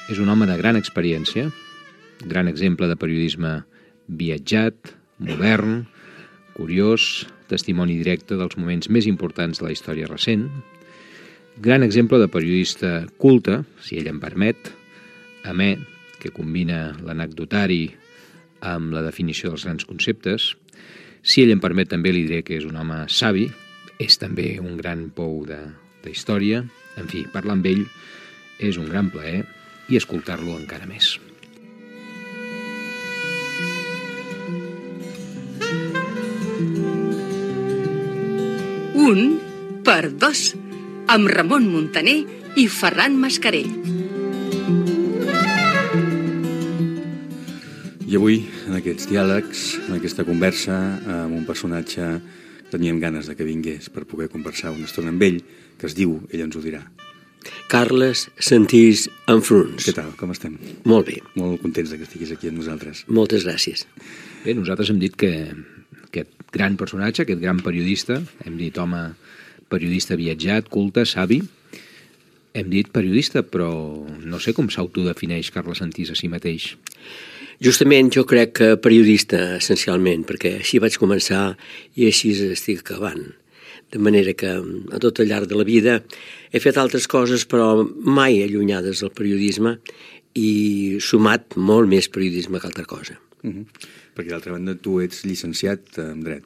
És un home de gran experiència, gran exemple de periodisme viatjat, modern, curiós, testimoni directe dels moments més importants de la història recent, gran exemple de periodista culte, si ell em permet, amè, que combina l'anecdotari amb la definició dels grans conceptes. Si ell em permet, també li diré que és un home savi, és també un gran pou de història. En fi, parlar amb ell és un gran plaer i escoltar-lo encara més. Un per dos, amb Ramon Muntaner i Ferran Mascarell. I avui, en aquests diàlegs, en aquesta conversa, amb un personatge que teníem ganes de que vingués per poder conversar una estona amb ell, que es diu, ell ens ho dirà. Carles Santís Enfruns. Què tal, com estem? Molt bé. Molt contents que estiguis aquí amb nosaltres. Moltes gràcies. Bé, nosaltres hem dit que aquest gran personatge, aquest gran periodista, hem dit home periodista viatjat, culte, savi, hem dit periodista, però no sé com s'autodefineix Carles Santís a si mateix. Justament jo crec que periodista, essencialment, perquè així vaig començar i així estic acabant. De manera que a tot al llarg de la vida he fet altres coses, però mai allunyades del periodisme i sumat molt més periodisme que altra cosa. Perquè d'altra banda tu ets llicenciat en dret.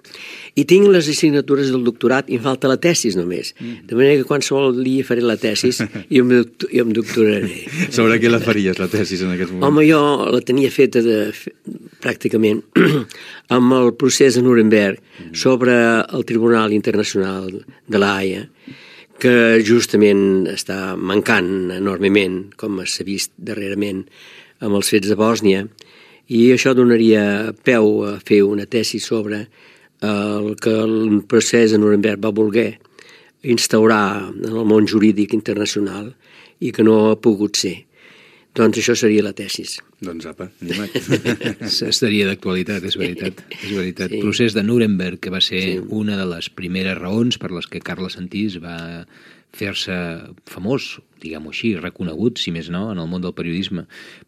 I tinc les assignatures del doctorat i em falta la tesis només. De manera que qualsevol dia faré la tesis i em doctoraré. Sobre què la faries, la tesis, en aquest moment? Home, jo la tenia feta pràcticament amb el procés de Nuremberg sobre el Tribunal Internacional de la Haia, que justament està mancant enormement, com s'ha vist darrerament amb els fets de Bòsnia, i això donaria peu a fer una tesi sobre el que el procés de Nuremberg va voler instaurar en el món jurídic internacional i que no ha pogut ser. Doncs això seria la tesis. Doncs apa, animat. Estaria d'actualitat, és veritat. És veritat. Sí. Procés de Nuremberg, que va ser una de les primeres raons per les que Carles Santís va fer-se famós, diguem-ho així, reconegut, si més no, en el món del periodisme,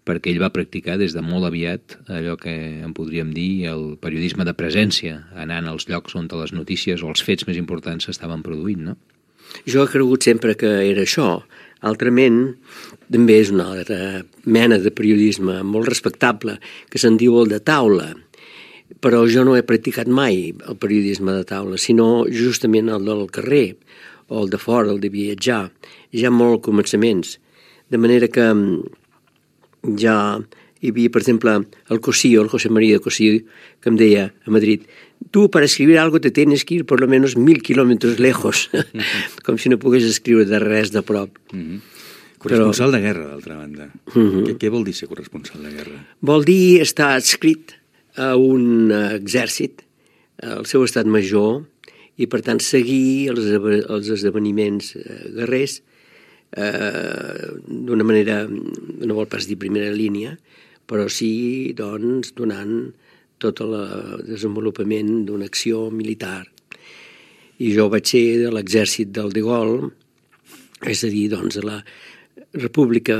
perquè ell va practicar des de molt aviat allò que en podríem dir el periodisme de presència, anant als llocs on les notícies o els fets més importants s'estaven produint, no? Jo he cregut sempre que era això. Altrament, també és una altra mena de periodisme molt respectable, que se'n diu el de taula. Però jo no he practicat mai el periodisme de taula, sinó justament el del carrer, o el de fora, el de viatjar. Ja molt començaments. De manera que ja hi havia, per exemple, el Cosío, el José María Cosío, que em deia a Madrid: tú para escribir algo te tienes que ir por lo menos 1000 kilómetros lejos, com si no pogués escriure de res de prop. Corresponsal de guerra, d'altra banda. Què vol dir ser corresponsal de guerra? Vol dir estar adscrit a un exèrcit, al seu estat major, i per tant seguir els esdeveniments guerrers d'una manera, no vol pas dir primera línia, però sí, doncs, donant tot el desenvolupament d'una acció militar. I jo vaig ser de l'exèrcit del de Gaulle, és a dir, doncs, de la república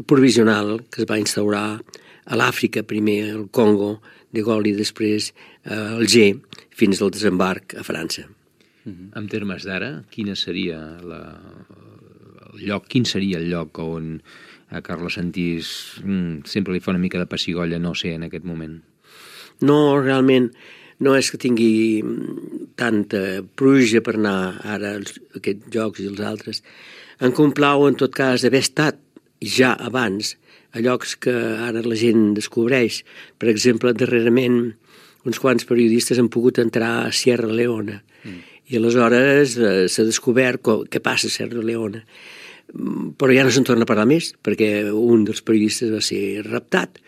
provisional que es va instaurar a l'Àfrica, primer al Congo, de Gaulle, i després a Alger, fins al desembarc a França. En termes d'ara, quin seria el lloc on a Carles Santís sempre li fa una mica de pessigolles no ser en aquest moment? No, realment, no és que tingui tanta pluja per anar ara a aquests jocs i els altres. Em complau, en tot cas, haver estat ja abans a llocs que ara la gent descobreix. Per exemple, darrerament, uns quants periodistes han pogut entrar a Sierra Leone i aleshores s'ha descobert què passa a Sierra Leone. Però ja no se'n torna a parlar més, perquè un dels periodistes va ser raptat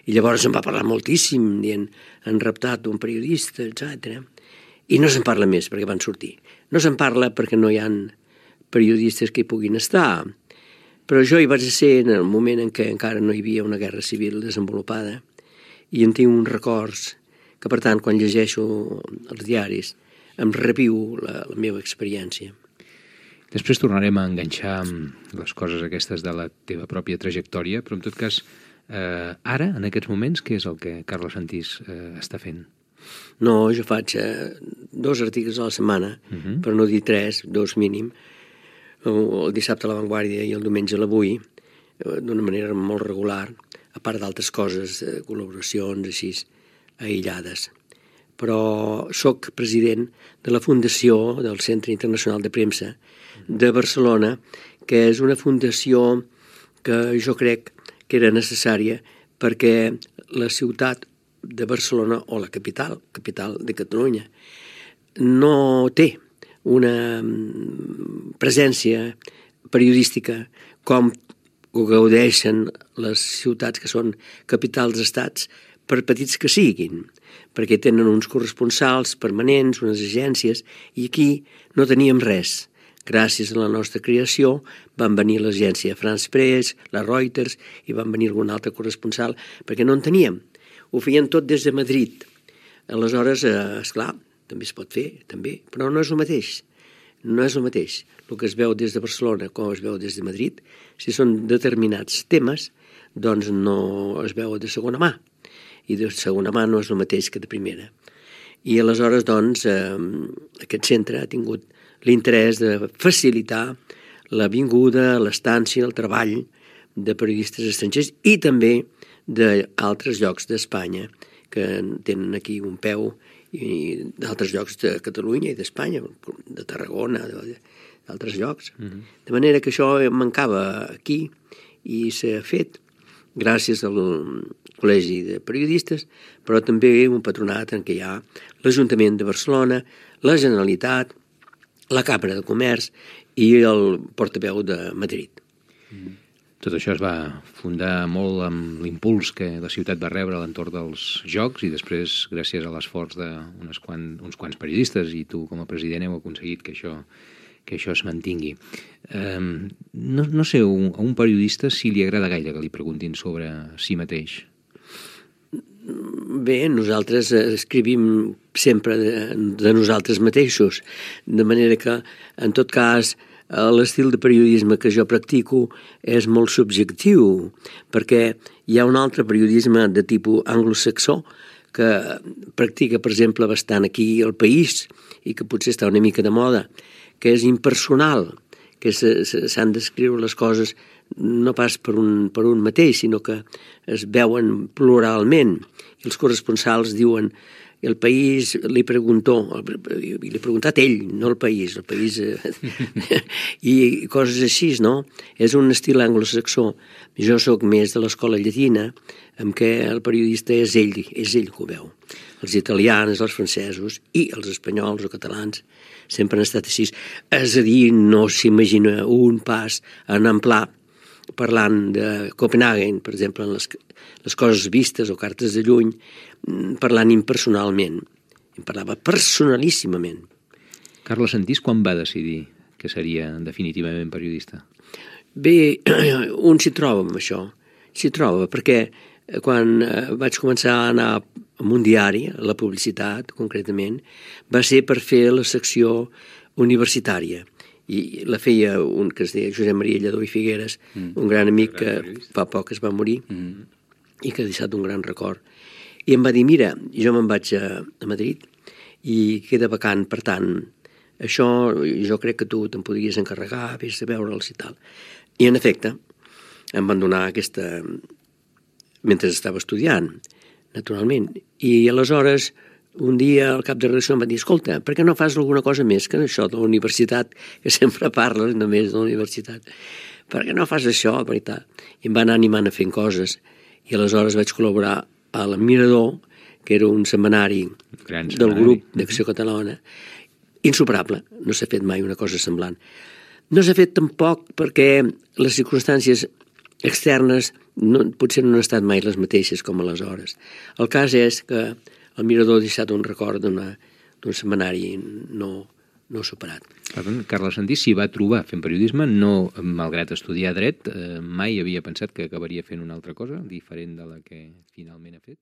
i llavors se'n va parlar moltíssim, dient han raptat un periodista, etc. I no se'n parla més perquè van sortir. No se'n parla perquè no hi ha periodistes que hi puguin estar. Però jo hi vaig ser en el moment en què encara no hi havia una guerra civil desenvolupada i en tinc uns records que, per tant, quan llegeixo els diaris, em reviu la meva experiència. Després tornarem a enganxar les coses aquestes de la teva pròpia trajectòria, però en tot cas, ara, en aquests moments, què és el que Carles Santís està fent? No, jo faig 2 articles a la setmana, per no dir 3, 2 mínim, el dissabte a La Vanguardia i el diumenge a l'Avui, d'una manera molt regular, a part d'altres coses, col·laboracions així, aïllades. Però sóc president de la fundació del Centre Internacional de Premsa de Barcelona, que és una fundació que jo crec que era necessària perquè la ciutat de Barcelona, o la capital de Catalunya, no té una presència periodística com ho gaudeixen les ciutats que són capitals d'estats, per petits que siguin, perquè tenen uns corresponsals permanents, unes agències, i aquí no teníem res. Gràcies a la nostra creació van venir l'agència France Press, la Reuters, i van venir algun altre corresponsal, perquè no en teníem. Ho feien tot des de Madrid. Aleshores, esclar, també es pot fer, també, però no és el mateix. No és el mateix. El que es veu des de Barcelona com es veu des de Madrid, si són determinats temes, doncs no es veu de segona mà. I de segona mà no és el mateix que de primera. I aleshores, doncs, aquest centre ha tingut l'interès de facilitar la vinguda, l'estància, el treball de periodistes estrangers i també d'altres llocs d'Espanya que tenen aquí un peu, i d'altres llocs de Catalunya i d'Espanya, de Tarragona, d'altres llocs. De manera que això mancava aquí i s'ha fet gràcies al Col·legi de Periodistes, però també un patronat en què hi ha l'Ajuntament de Barcelona, la Generalitat, la Cambra de Comerç i el portaveu de Madrid. Tot això es va fundar molt amb l'impuls que la ciutat va rebre a l'entorn dels Jocs i després, gràcies a l'esforç d'uns quants periodistes i tu com a president heu aconseguit que això es mantingui. No sé, a un periodista si li agrada gaire que li preguntin sobre si mateix. Bé, nosaltres escrivim sempre de nosaltres mateixos, de manera que, en tot cas, l'estil de periodisme que jo practico és molt subjectiu, perquè hi ha un altre periodisme de tipus anglosaxó que practica, per exemple, bastant aquí al País i que potser està una mica de moda, que és impersonal, que s'han d'escriure les coses no pas per un mateix, sinó que es veuen pluralment. I els corresponsals diuen el País li ha preguntat ell, no el País i coses així, no? És un estil anglosaxó. Jo sóc més de l'escola llatina, en què el periodista és ell que ho veu. Els italians, els francesos i els espanyols o catalans sempre han estat així. És a dir, no s'imagina un pas en amplà parlant de Copenhagen, per exemple, en les coses vistes o cartes de lluny, parlant impersonalment. Em parlava personalíssimament. Carles Santís quan va decidir que seria definitivament periodista? Bé, un s'hi troba amb això. S'hi troba, perquè quan vaig començar a anar a un diari, a la publicitat, concretament, va ser per fer la secció universitària. I la feia un que es deia Josep Maria Lledó i Figueres, un gran amic que fa poc es va morir i que ha deixat un gran record. I em va dir, mira, jo me'n vaig a Madrid i queda vacant, per tant, això jo crec que tu te'n podries encarregar, vés a veure'ls i tal. I en efecte, em van donar aquesta mentre estava estudiant, naturalment. I aleshores, un dia el cap de redacció em va dir, escolta, per què no fas alguna cosa més que això de la universitat, que sempre parles només de la universitat? Per què no fas això? I em van anar animant a fer coses. I aleshores vaig col·laborar a la Mirador, que era un setmanari del grup d'Acció Catalana, insuperable. No s'ha fet mai una cosa semblant. No s'ha fet tampoc perquè les circumstàncies externes potser no han estat mai les mateixes com aleshores. El cas és que el Mirador ha deixat un record d'un setmanari no superat. Carles Santís s'hi va trobar fent periodisme, no, malgrat estudiar dret, mai havia pensat que acabaria fent una altra cosa diferent de la que finalment ha fet?